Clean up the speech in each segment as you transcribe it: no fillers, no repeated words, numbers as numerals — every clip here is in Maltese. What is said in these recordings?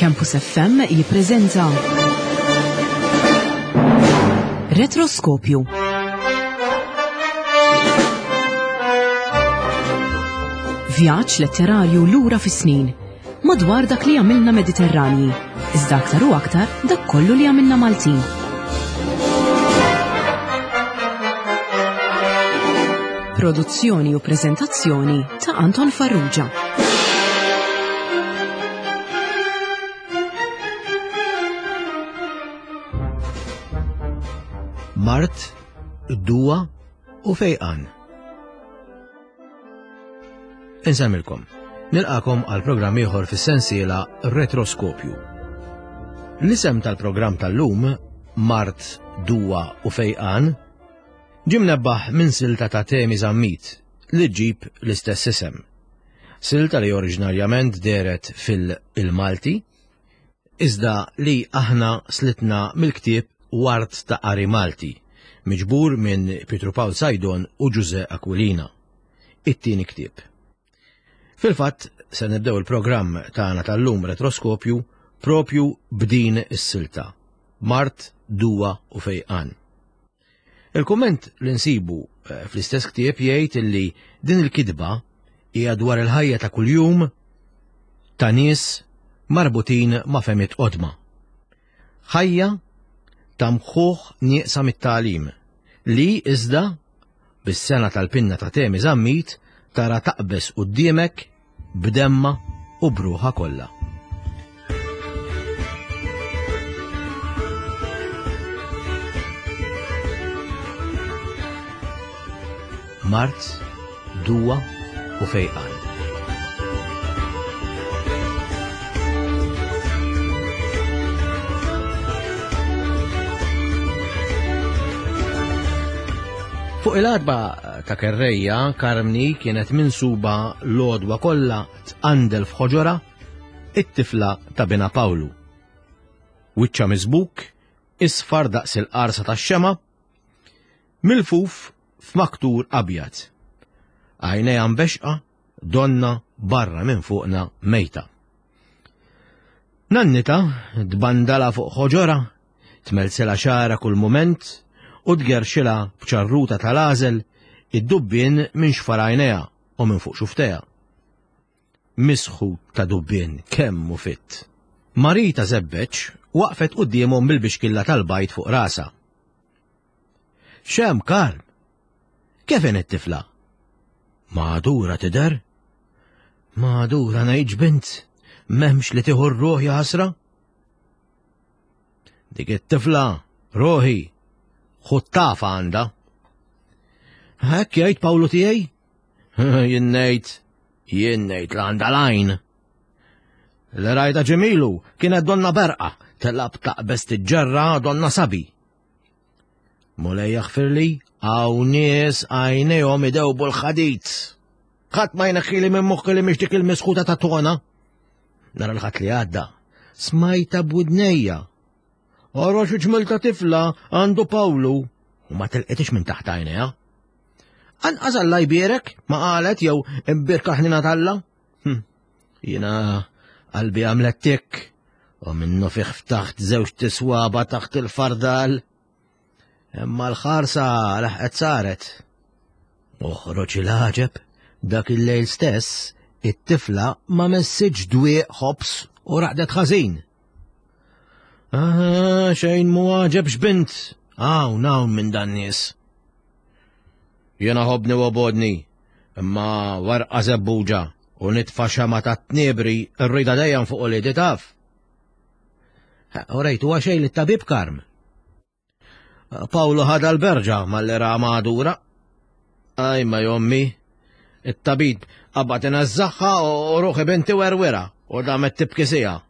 Campus FM jippreżenta Retroskopju. Vjaġġ letterarju lura fis-snin madwar dak li għamilna Mediterranji, iżda aktar u aktar dak kollu li għamilna Maltin. Produzzjoni u preżentazzjoni ta' Anton Farrugia. Mart, Duwa u Fejqan. Insemmilkom, nilqakom għal programm ieħor fis-sensiela Retroskopju. L-isem tal-programm tal-lum, Mart, Duwa u Fejqan, ġie mnebbaħ minn silta ta' Temi Zammit li ġġib l-istess isem. Silta li oriġinarjament dehret fil-Il-Malti, iżda li aħna slitna mill-ktieb Ward ta' Qari Malti, miġbur minn Pietru Pawl Saydon u Ġużè Aquilina. It-tieni ktieb. Fil-fatt, se nibdew il-programm tagħna tal-lum Retroskopju propju b'din is-silta, Mard, Duwa u Fejqan. Il-kumment li nsibu eh, fl-istess ktieb jgħid illi din il-kitba hija dwar il-ħajja ta' kuljum ta' nies marbutin ma' femiet qodma. Ħajja ta' mħuħ nieqsa mit-tagħlim li iżda bis-sena tal-pinna ta' Temi Zammit tara taqbeż quddiemek b'demma u b'ruħha kollha. Mard, duwa u fejqan. Fuq il-għatba ta' kerrejja, Karmni kienet minsuba l-għodwa kollha tqandel f'ħoġorha it-tifla ta' bina Pawlu. Wiċċa miżbuk, isfar daqs il-qarsa tax-xema, milfuf f'maktur abjad. Għajnejha mbexqa, donna barra minn fuqna mejta. Nannita tbandala fuq ħoġorha, tmelsilha xagħarha kull mument u tgerrxilha b'ċarruta tal-għażel id-dubbien minn xfar għajnejha u minn fuq xuftejha. Misħut ta' dubbien kemm hu fitt. Marita Żebbeġ waqfet quddiemhom bil-bixkilla tal-bajd fuq rasha. X'hemm Karl? Kif inhi t-tifla? Magħdura tidher? Magħdura ngħidx bint, m'hemmx li tieħu r-ruħ ja ħasra? Dik it-tifla, ruħi, ħuttafa għandha. Hekk jgħid Pawlu tiegħi? Jien ngħid, jien ngħid l għandha l-għajn. Li rajta ġemilu kienet donna berqa, telab taqbeż tiġġerra donna sabi. Mulej jaħfirli, hawn nies għajnejhom idewbu l-ħadid. Ħadd ma jneħħili minn moħħi li mhix dik il-misħuta ta' tona. Nara l-ħadd li għadda, smajta b'widnejja. Ara xi ġmel ta' tifla għandu Pawlu u ma telqitix minn taħt għajnejha. Anqas Alla jbierek ma qalet jew imbierka ħnina t'Alla. Hm, jiena qalbi għamlet tik u minnu fih ftaħt żewġ tiswaba taħt il-fardal. Imma l-ħarsa laħqet saret. Uħroġ il-ħaġeb, dak il-lejl stess, it-tifla ma messitx dwieq ħobs u raqdet ħażin. Ah, xejn mu għaġeb x'bint, hawn hawn minn dan nies. Jiena ħobni u obodni, imma warqa żebbuġa u nitfa' xema ta' tniebri rrida dejjem fuq uliedi taf. U rejtu xejn li tabib Karm. Pawlu ħada l-berġa malli ra magħdura. Aj ma jommi, it-tabib qabad ineżżaħħa u ruħi binti werwira u damet tibki sija.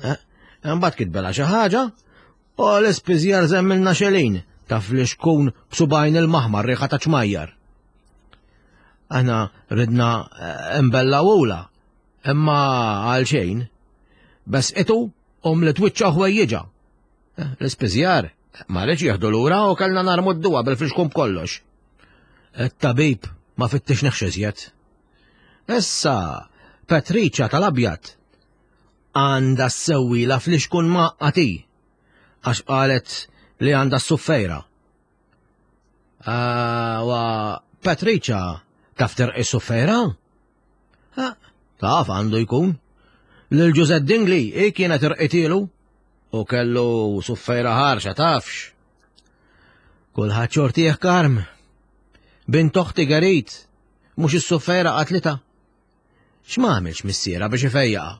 Eh, imbagħad kitbela xi ħaġa U l-ispiżjar żemmilna xelin, taf li xkun b'subajn il-maħmar riħa ta' ċmajjar. Aħna ridna eh, imbellawula, imma għal xejn. Bes itu u mlit wiċċa ħwejjiġa. Eh, l-ispiżjar ma rridx jieħdu lura u kellna narmu d-duwa bil-fixkun b'kollox. It-tabib ma fittix iżjed. Issa, Petriċa tal-abjad. Għandha ssewwilha fl-ixkun mgħaqqad hi, għax qalet li għandha s-suffejra. Ah, wa Patricia taf terqi s-suffejra? Ah, taf għandu jkun. Lil Ġużè Dingli hi kienet irqitilu u kellu suffejra ħarxa tafx. Kulħadd xortih karm. Bint oħti Gerit, mhux is-suffejra qatlitha. X'ma għamilx missierha biex ifejjaqha?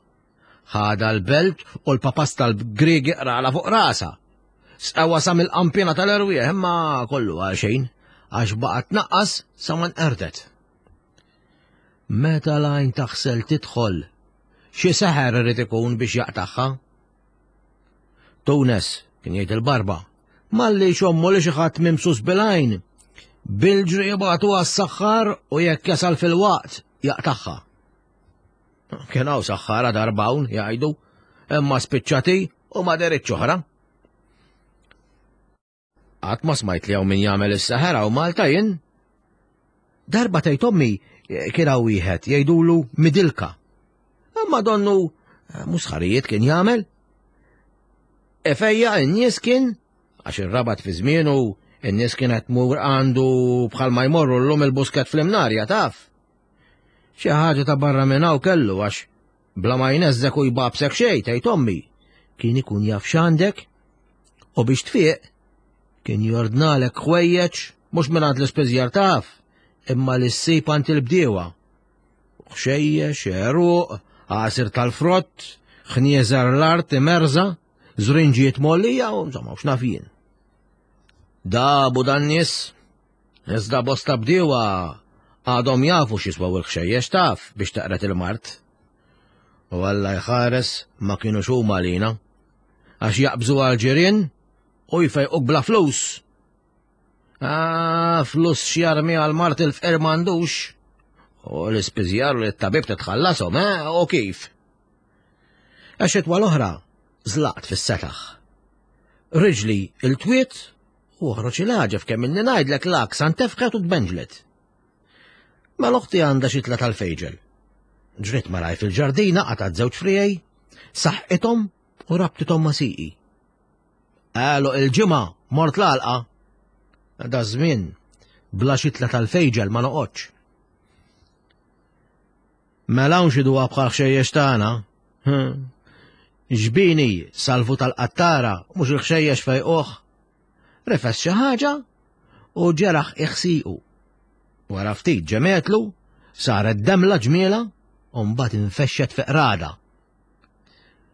Ħadha l-belt u l-papas tal-Griegi qrala fuq rasha. Sqewha sa mill-qampina tal-erwieħ imma kollu għal xejn għax baqgħet tnaqqas sa ma nqerdet. Meta l-għajn taħsel tidħol, xi seħer irid ikun biex jaqtagħha? Tunes, kien jgħid il-barba, malli xommu li xi ħadd mimsus bil-għajn, bil-ġri jibgħatu għas-saħħar u jekk jasal fil-waqt jaqtagħha. Kien hawn saħħara darba hawn jgħidu, imma spiċċati u ma deritx oħra. Qatt ma smajt li hawn min jagħmel is-seħer hawn Malta jien. Darba tgħid ommi eh, kien hawn wieħed jgħidulu Midilka. Imma donnu eh, musħarijiet kien jagħmel. Efejja n-nies kien għax ir-rabat fi żmienu n-nies kienet tmur għandu bħalma jmorru llum il-busket fl-imnarja taf. Xi ħaġa ta' barra minn hawn kellu għax bla ma jneżżek u jbabsek xejn tgħid ommi. Kien ikun jaf x'għandek u biex tfiq kien jordnalek ħwejjeġ mhux mingħand l-ispiżjar taf, imma li ssib għand il-bdiewa. Ħxejjex, għeruq, għasir tal-frott, ħnieżar l-art imerża, żrinġijiet mollija u insomma x'naf jien. Dabu dan nies Iżda bosta bdiewa għadhom jafu x'jiswew il-ħxejjex taf biex teqred il-mard. U Alla jħares ma kinux huma għalina. Għax jaqbżu għal-ġirien u jfejquk bla flus. Ah, flus x'jarmi għal mart il-fqir m'għandux. U l-ispiżjar li t-tabib titħallashom, eh, u kif? Għax itwa l-oħra żlaqt fis-setaħ. Riġli il-twiet U oħroġ il-għaġeb kemm inni ngħidlek l-għaksa ntefħet u tbenġlet. Mela oħti għandha xitla tal-fejġel. Ġriet malaj fil-ġardina qatgħet żewġ friegħi, saħqithom u rabtithom ma' siqi. Għalu il-ġimgħa mort l-għalqa. Da żmien bla xitla tal-fejġel ma noqgħodx. Mela hawn xi duwa bħal ħxejjex tagħna. Ġbini salvu tal-qattara mhux il-ħxejjex fejquh. Rifes xi ħaġa u ġeraħ iħsiqu. Wara ftit ġemetlu, saret demla ġmiela u mbagħad infexxet fi qrada.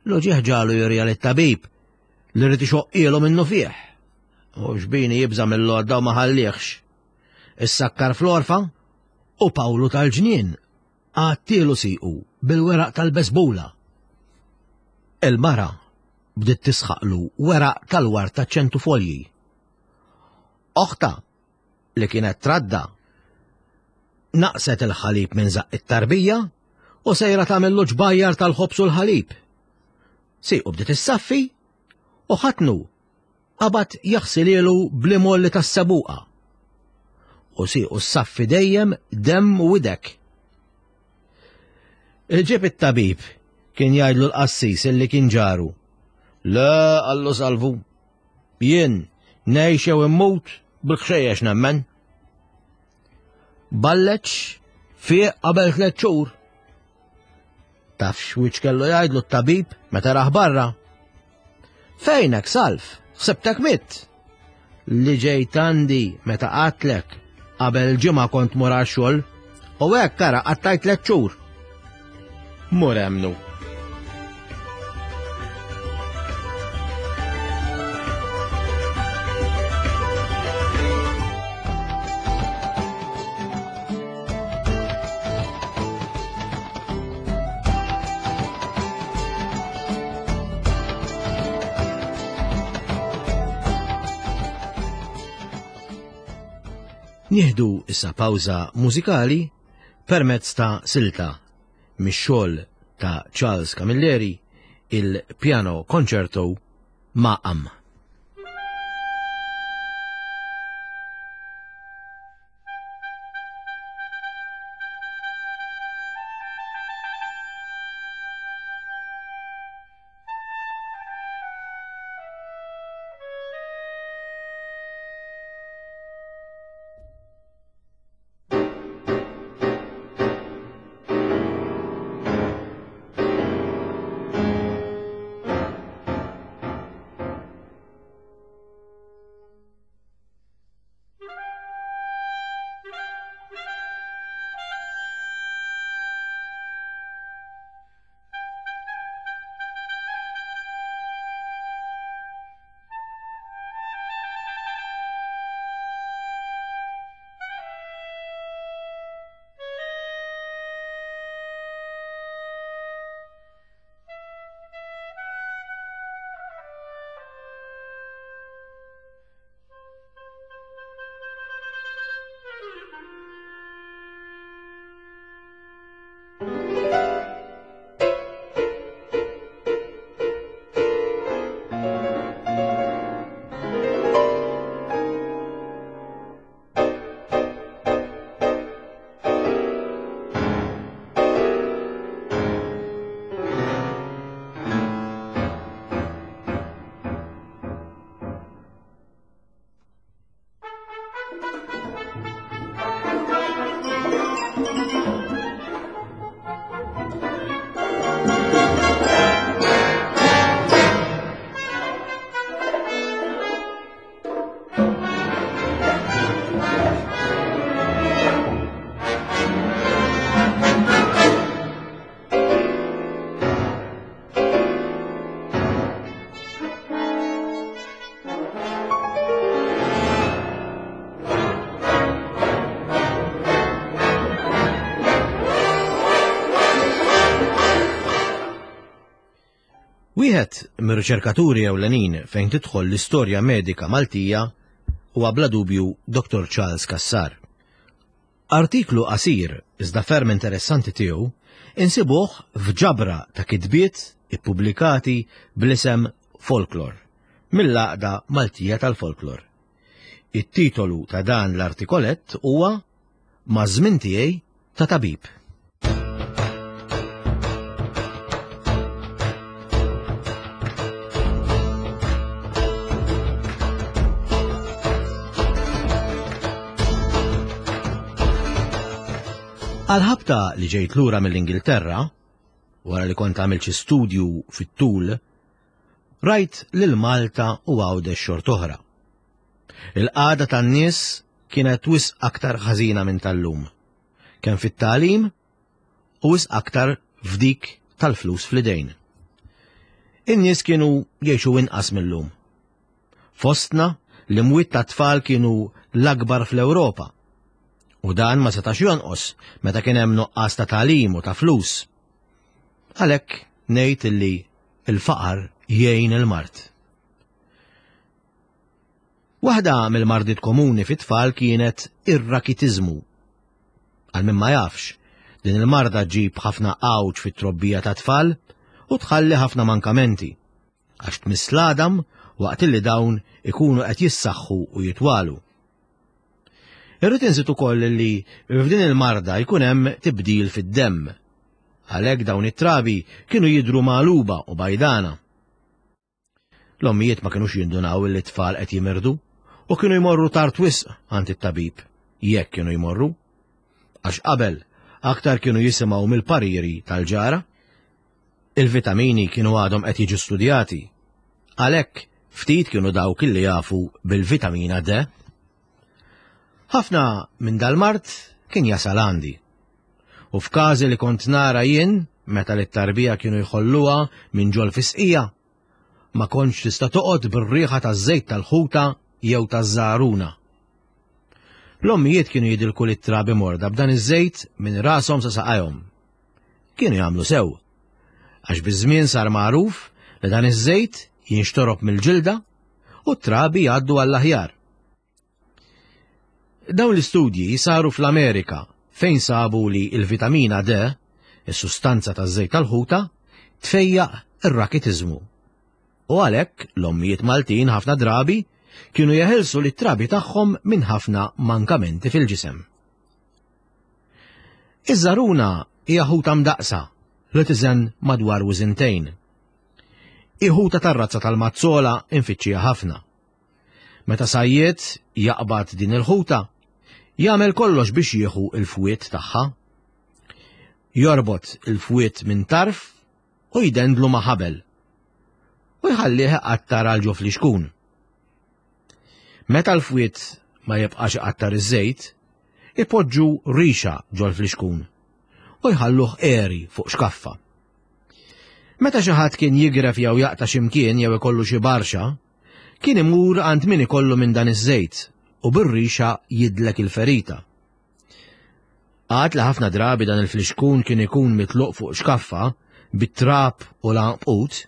L-uġieħ ġalu jurja lit-tabib li rrid ixoqqielu minnu fih. U xbini jibża mill-għodda u ma ħallihx. Issakkar fl-orfa u Pawlu tal-ġnien għattielu siqu bil-weraq tal-besbula. Il-mara bdiet tisħaqlu weraq tal-ward ta' ċentufolji. Oħta, li kienet tradda, naqset il-ħalib minn żaqq it-tarbija u sejra tagħmillu ġbajjar tal-ħobż u l-ħalib. Siqu bdiet issaffi u ħatnu qabad jaħsilielu bl-imolli tas-sebuqa. U siequ ssaffi dejjem demm u idek. Ġib it-tabib kien jgħidlu l-qassis illi kien ġaru. Le, qallu salvu, jien ngħix jew immut bil-ħxejjex nemmen. Balleċ fieq qabel tliet xhur. Taf x'wiċċ kellu jgħidlu t-tabib meta raħ barra. Fejnek salf, ħsibtek mitt. Li ġejt għandi meta qatlek qabel ġimgħa kont mur għax-xogħol u hekk ara qattajt tliet xhur. Mur emnu. Nieħdu issa pawża mużikali permezz ta' silta mix-xogħol ta' Charles Camilleri il-Piano Concerto Maqam. Wieħed mir-riċerkaturi ewlenin fejn tidħol l-istorja medika Maltija huwa bla dubju Dr. Charles Cassar. Artiklu qasir iżda ferm interessanti tiegħu insibuh f'ġabra ta' kitbiet ippubblikati bl-isem Folklor mill-Għaqda Maltija tal-Folklor. It-titolu ta' dan l-artikolett huwa Maż-żmien tiegħi ta' tabib. Għal-ħabta li ġejt lura mill-Ingilterra, wara li kont għamilt xi studju fit-tul, rajt lil Malta u Għawdex xort'oħra. Il-qagħda tan-nies kienet wisq aktar ħażina minn tal-lum, kemm fit-tagħlim u wisq aktar f'dik tal-flus fl-idejn. In-nies kienu jgħixu inqas mil-lum. Fostna, l-imwiet tat-tfal kienu l-akbar fl-Ewropa. U dan ma setax jonqos meta kien hemm nuqqas ta' tagħlim u ta' flus. Għalhekk ngħid illi l-faqar jgħin il-mard. Waħda mill-mardiet komuni fit-tfal kienet ir-rakitiżmu. Għal min ma jafx, din il-marda ġġib ħafna għawġ fit-trobbija tat-tfal u tħalli ħafna mankamenti, għax tmiss l-għadam waqt li dawn ikunu qed jissaħħu u jitwalu. Irrid inżid ukoll li f'din il-marda jkun hemm tibdil fid-demm. Għalhekk dawn it-trabi kienu jidhru magħluba u bajdana. L-ommijiet ma kinux jindunaw illi t-tfal qed jimirdu u kienu jmorru tard wisq għand it-tabib, jekk kienu jmorru. Għax qabel aktar kienu jisimgħu mill-pariri tal-ġara. Il-vitamini kienu għadhom qed jiġu studjati. Għalhekk ftit kienu dawk illi jafu bil-vitamina D. Ħafna minn dal-mard kien jasal għandi. U f'każi li kont nara jien meta lit-tarbija kienu jħolluha minn ġol fisqija, ma kontx tista' toqgħod bir-riħa taż-żejt tal-ħuta jew taż-żagħruna. L-ommijiet kienu jidilku lit-trabi morda b'dan iż-żejt minn rashom sa saqajhom. Kienu jagħmlu sew, għax biż-żmien sar magħruf li dan iż-żejt jinxtorob mill-ġilda u t-trabi jgħaddu għall-aħjar. Dawn l-istudji saru fl-Amerika fejn sabu li l-vitamina D, is-sustanza taż-żejt tal-ħuta, tfejjaq ir-rakitiżmu. U għalhekk l-ommijiet Maltin ħafna drabi kienu jeħilsu lit-trabi tagħhom minn ħafna mankamenti fil-ġisem. Iż-żaruna hija ħuta mdaqqsa li tiżen madwar wiżintejn. Hi ħuta tar-razza tal-mazzola infittxija ħafna. Meta sajjied jaqbad din il-ħuta, jagħmel kollox biex jieħu l-fwied tagħha. Jorbot il-fwied minn tarf u jdendlu ma' ħabel u jħallih iqattar għal ġo flixkun. Meta l-fwied ma jibqax iqattar iż-żejt, ipoġġu rixa ġol-flixkun u jħalluh għeri fuq xkaffa. Meta xi ħadd kien jigref jew jaqta' xi mkien jew ikollu xi barxa, Kien imur għand min ikollu minn dan iż-żejt u bir-rixa jidlek il-ferita. Għad li ħafna drabi dan il-flixkun kien ikun mitluq fuq xkaffa bit-trab u l-għanqud,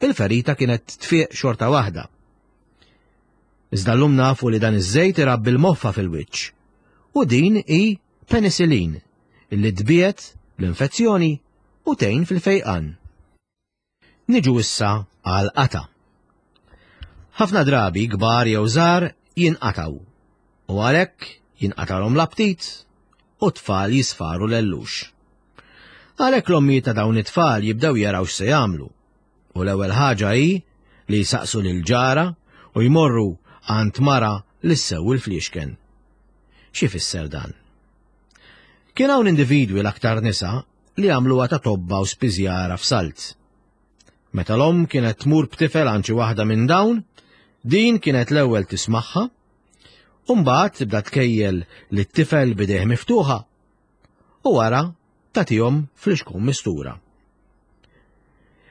il-ferita kienet tfiq xorta waħda. Iżda llum nafu li dan iż-żejt irabbi l-moffa fil-wiċċ u din hi penicillin illi tbiegħed l-infezzjoni u tgħin fil-fejqan. Niġu issa għal qatgħa. Ħafna drabi kbar jew żgħar jinqatgħu u għalhekk jinqatalhom l-aptit u t-tfal jisfaru l-ellux. Għalhekk l-ommijiet ta' dawn it-tfal jibdew jaraw x'se jagħmlu u l-ewwel ħaġa hi li jsaqsu lil ġara u jmorru għand mara li ssewwi l-fliexken. X'ifisser dan? Kien hawn individwi l-aktar nisa li għamluha ta' tobba u spiżjara f'salt. Meta l-omm kienet tmur b'tifel għand xi waħda minn dawn, din kienet l-ewwel tismagħha, u mbagħad tibda tkejjel lit-tifel b'idejh miftuħa u wara tagħtihom flixkun mistura.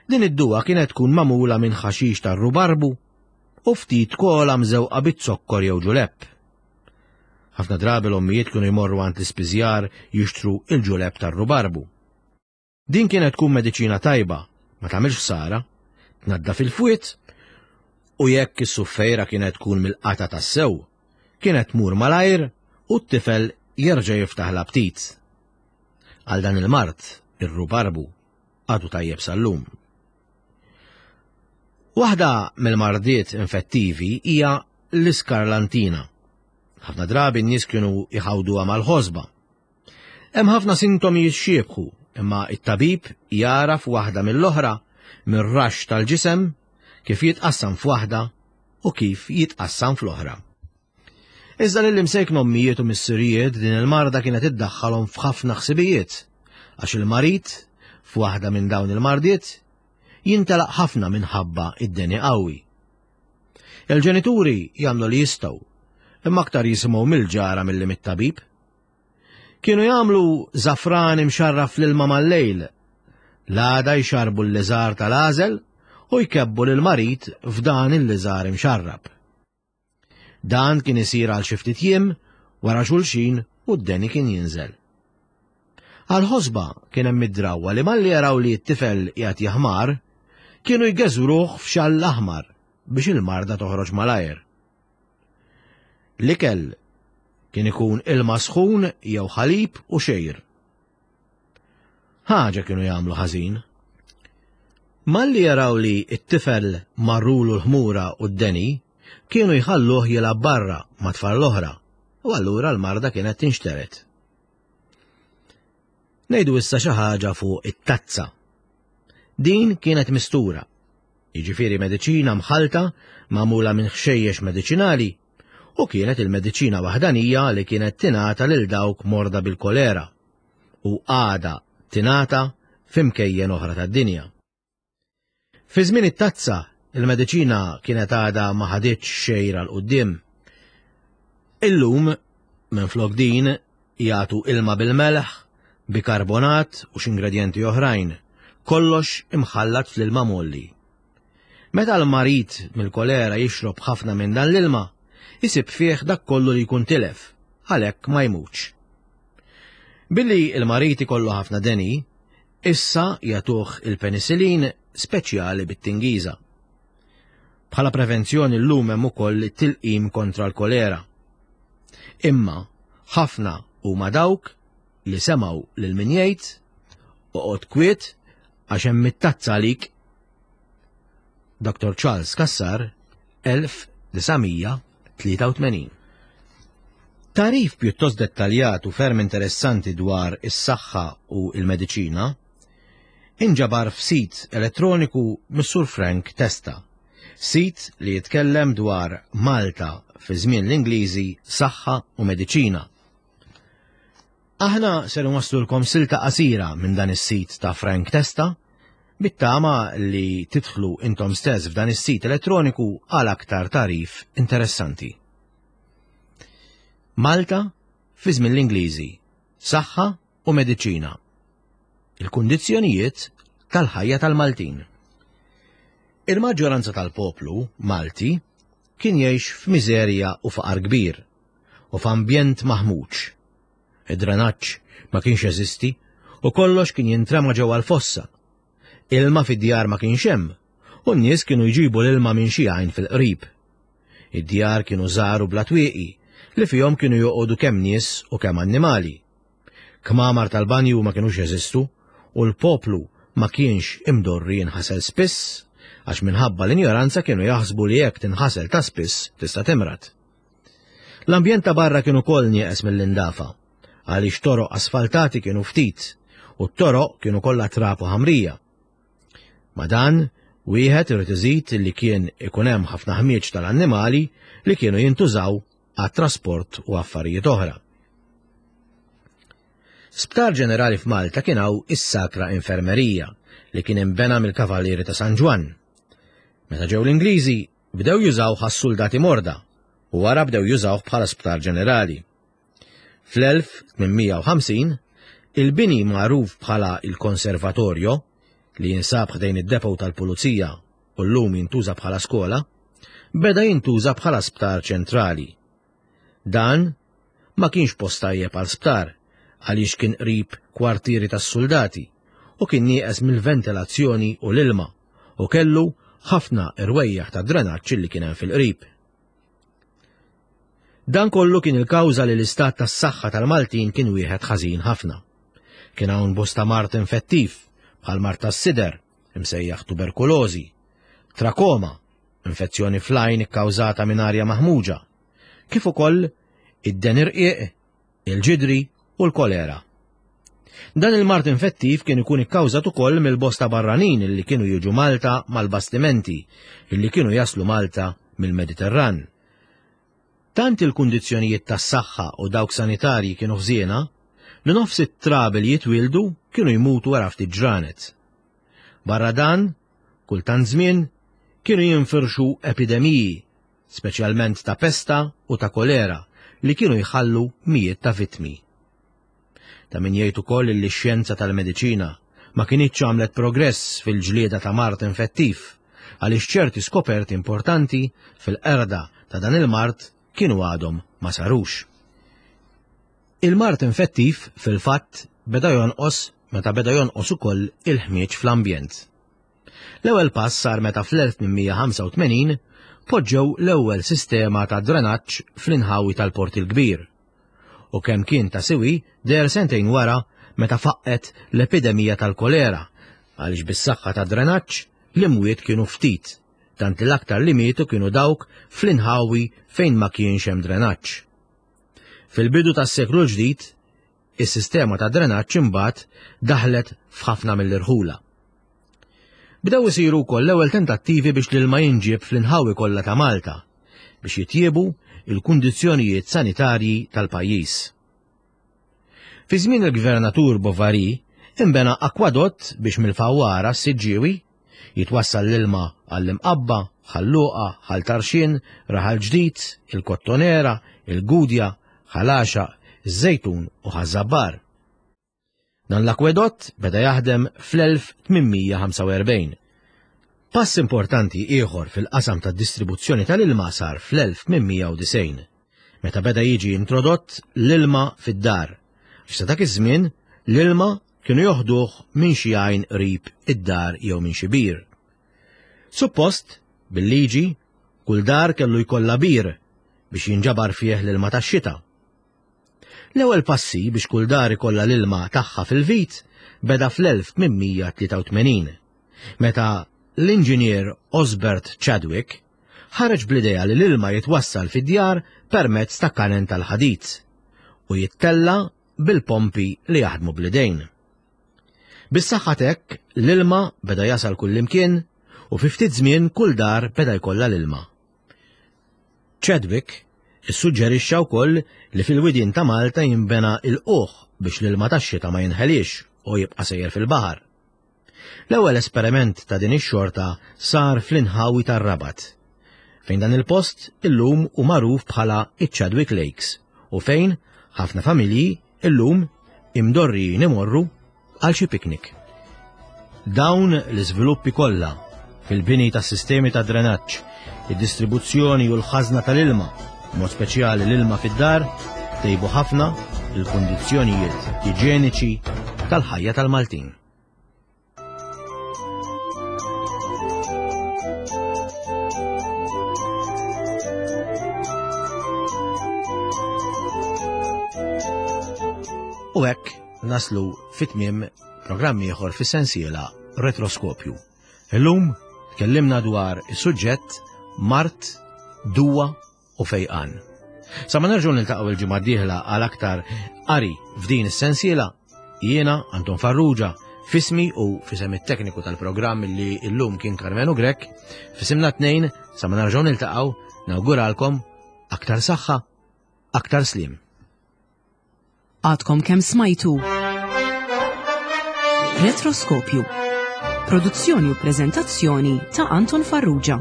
Din id-duwa kienet tkun magħmula minn ħaxix tar-rubarbu u ftit kola mżewqa biz-zokkor jew ġulepp. Ħafna drabi l-ommijiet kienu jmorru għand l-ispiżjar jixtru il-ġulepp tar-rubarbu. Din kienet tkun mediċina tajba, ma tagħmilx ħsara, tnaddaf il-fwied u jekk is-suffejra kienet tkun mill-qata tassew, kienet tmur malajr u t-tifel jerġa' jiftaħ l-aptit. Għal dan il-mard, ir-rubarbu għadu tajjeb sal-lum. Waħda mill-mardiet infettivi hija l-iskarlantina. Ħafna drabi n-nies kienu jħawduha mal-ħosba. Hemm ħafna sintomi jixxiebħu, imma it-tabib jagħraf waħda mill-oħra mir-raxx tal-ġisem kif jitqassam f'waħda u kif jitqassam fl-oħra. Iżda lil imsejkna ommijiet u missirijiet din il-marda kienet iddaħħalhom f'ħafna ħsibijiet, għax il-marid f'waħda minn dawn il-mardiet jintelaq ħafna minħabba id-deni qawwi. Il-ġenituri jagħmlu li jistgħu, imma aktar jisimgħu mill-ġara milli mit-tabib. Kienu jagħmlu żafran imxarraf fl-ilma mal-lejl. L-għada jxarbu l-liżar tal-għażel u jkebbu lill-marid f'dan il-liżar imxarrab. Dan kien isir għal xi ftit jiem wara xulxin u d-deni kien jinżel. Għal-ħosba kien hemm id-drawwa li malli jaraw li t-tifel qiegħed jaħmar, kienu jgeżwruh f'xall aħmar biex il-marda toħroġ malajr. L-ikel kien ikun ilma sħun jew ħalib u xejr. Ħaġa kienu jagħmlu ħażin. Malli jaraw li t-tifel marrulu l-ħmura u d-deni, kienu jħalluh jilgħab barra ma' tfal l-oħra u allura l-marda kienet tinxtered. Ngħidu issa xi ħaġa fuq it-tazza. Din kienet mistura jiġifieri mediċina mħallta magħmula minn ħxejjex mediċinali, u kienet il-mediċina waħdanija li kienet tingħata lil dawk morda bil-kolera u għadha tingħata f'imkejjen oħra tad-dinja. Fi żmien it-tazza, il-mediċina kienet għadha ma ħaditx xejra 'l quddiem. Illum, minflok din, jagħtu ilma bil-melħ, bikarbonat u x'ingredjenti oħrajn, kollox imħallat fl-ilma mgħolli. Meta l-marid mill-kolera jixrob ħafna minn dan l-ilma, isib fih dak kollu li jkun tilef, għalhekk ma jmutx. Billi l-marid ikollu ħafna deni, issa jagħtuh il-penicillin speċjali bit-tingiża. Bħala prevenzjoni llum hemm ukoll it-tilqim kontra l-kolera. Imma ħafna huma dawk li semgħu lil min jgħid oqgħod kwiet għax hemm it-tazza għalik. Dr. Charles Cassar, 1983. Tagħrif pjuttost dettaljat u ferm interessanti dwar is-saħħa u l-mediċina inġabar f'sit elettroniku mis-Sur Frank Testa, sit li jitkellem dwar Malta fi żmien l-Ingliżi, saħħa u mediċina. Aħna ser nwasslulkom silta qasira minn dan is-sit ta' Frank Testa, bit-tama li tidħlu intom stess f'dan is-sit elettroniku għal aktar tagħrif interessanti. Malta fi żmien l-Ingliżi, saħħa u mediċina. Il-kundizzjonijiet tal-ħajja tal-Maltin. Il-maġġoranza tal-poplu Malti kien jgħix f'miżerja u faqar kbir u f'ambjent maħmuġ. Id-drenaġġ ma kienx jeżisti u kollox kien jintrema ġewwa l-fossa. Ilma fid-djar ma kienx hemm u n-nies kienu jġibu l-ilma minn xi għajn fil-qrib. Id-djar kienu żgħar u bla twieqi li fihom kienu joqogħdu kemm nies u kemm annimali. Kmamar tal-banju ma kinux jeżistu u l-poplu ma kienx imdorri jinħasel spiss għax minħabba l-injoranza kienu jaħsbu li jekk tinħasel ta' spiss tista' timrad. L-ambjent ta' barra kien ukoll nieqes mill-indafa għaliex toroq asfaltati kienu ftit u t-toroq kienu kollha trab u ħamrija. Ma' dan, wieħed irid iżid li kien ikun hemm ħafna ħmieġ tal-annimali li kienu jintużaw għat-trasport u affarijiet oħra. Sptar ġenerali f'Malta kien hawn is-Sacra Infermerija li kien inbena mill-Kavallieri ta' San Ġwann. Meta ġew l-Ingliżi, bdew jużawh għas-suldati morda u wara bdew jużawh bħala sptar ġenerali. Fl-1850, il-bini magħruf bħala il-Konservatorio, li jinsab ħdejn id-depot tal-pulizija u llum jintuża bħala skola, beda jintuża bħala sptar ċentrali. Dan ma kienx post tajjeb għal sptar għaliex kien qrib kwartieri tas-suldati u kien nieqes mill-ventilazzjoni u l-ilma u kellu ħafna irwejjaħ ta' drenaġġ li kien hemm fil-qrib. Dan kollu kien il-kawża li l-istat tas-saħħa tal-Maltin kien wieħed ħażin ħafna. Kien hawn bosta mard infettiv, bħal mard tas-sider, imsejjaħ tuberkulożi, trakoma, infezzjoni fl-għajn ikkawżata minn arja maħmuġa, kif ukoll id-den irqiq, il-ġidri u l-kolera. Dan il-mard infettiv kien ikun ikkawżat ukoll mill-bosta barranin li kienu jiġu Malta mal-bastimenti li kienu jaslu Malta mill-Mediterran. Tant il-kundizzjonijiet tas-saħħa u dawk sanitarji kienu ħżiena li nofs it-trabi li jitwieldu kienu jmutu wara ftit ġranet. Barra dan, kultant żmien kienu jinfirxu epidemiji, speċjalment ta' pesta u ta' kolera li kienu jħallu mijiet ta' vittmi. Ta' min jgħid ukoll li x-xjenza tal-mediċina ma kinitx għamlet progress fil-ġlieda ta' mard infettiv għaliex ċerti skoperti importanti fil-qerda ta' dan il-mard kienu għadhom ma sarux. Il-mard infettiv fil-fatt beda jonqos meta beda jonqos ukoll il-ħmieġ fl-ambjent. L-ewwel pass sar meta fl-1885 poġġew l-ewwel sistema ta' drenaġġ fl-inħawi tal-Port il-Kbir. U kemm kien ta' siwi deher sentejn wara meta faqqgħet l-epidemija tal-kolera għaliex bis-saħħa tad-drenaġġ l-imwiet kienu ftit, tant li l-aktar li mietu kienu dawk fl-inħawi fejn ma kienx hemm drenaġġ. Fil-bidu tas-seklu l-ġdid, is-sistema ta' drenaġġ imbagħad daħlet f'ħafna mill-irħula. Bdew isiru wkoll l-ewwel tentattivi biex l-ilma jinġieb fl-inħawi kollha ta' Malta biex jitjiebu il-kundizzjonijiet sanitarji tal-pajjiż. Fi żmien il-Gvernatur Bovary inbena akwadott biex mill-Fawwara s-Siġġiewi jitwassal l-ilma għall-Imqabba, Ħal Luqa, Ħal Tarxien, Raħal Ġdid, il-Kottonera, il-Gudja, Ħal Għaxaq, iż-Żejtun u Ħaż-Żabbar. Dan l-akwedott beda jaħdem fl-1845. Pass importanti ieħor fil-qasam tad-distribuzzjoni tal-ilma sar fl-1890, meta beda jiġi introdott l-ilma fid-dar, għax sa dak iż-żmien l-ilma kienu joħduh minn xi għajn qrib id-dar jew minn xi bir. Suppost, bil-liġi, kull dar kellu jkollha bir biex jinġabar fih l-ilma tax-xita. L-ewwel passi biex kull dar ikollha l-ilma tagħha fil-vit beda fl-1883, meta l-inġinier Osbert Chadwick ħareġ bl-idea li l-ilma jitwassal fid-djar permezz ta' kanen tal-ħadid u jittella' bil-pompi li jaħdmu bl-idejn. Bis-saħħa t'hekk l-ilma beda jasal kullimkien u fi ftit żmien kull dar beda jkollha l-ilma. Chadwick issuġġerixxa wkoll li fil-widien ta' Malta jinbena ilqugħ biex l-ilma tax-xita ma jinħeliex u jibqa' sejjer fil-baħar. L-ewwel esperiment ta' din ix-xorta sar fl-inħawi tar-Rabat, fejn dan il-post illum hu magħruf bħala iċ-Chadwick Lakes u fejn ħafna familji illum imdorrijin imorru għal xi piknik. Dawn l-iżviluppi kollha fil-bini tas-sistemi ta' drenaġġ, id-distribuzzjoni u l-ħażna tal-ilma, mod speċjali l-ilma fid-dar, tejbu ħafna il-kundizzjonijiet iġeniċi tal-ħajja tal-Maltin. U hekk naslu fit-tmiem programm ieħor fis-sensiela Retroskopju. Illum tkellimna dwar is-suġġett Mart, Duwa u Fejqan. Sa ma nerġgħu niltaqgħu il-ġimgħa d-dieħla għal aktar qari f'din is-sensiela, jiena Anton Farrugia fismi u fisem it-tekniku tal-programm li illum kien Karmenu Grech, fisimna tnejn sa ma nerġgħu niltaqgħu nawguralkom aktar saħħa, aktar slim. Għadkom kemm smajtu. Retroskopju. Produzzjoni u preżentazzjoni ta' Anton Farrugia.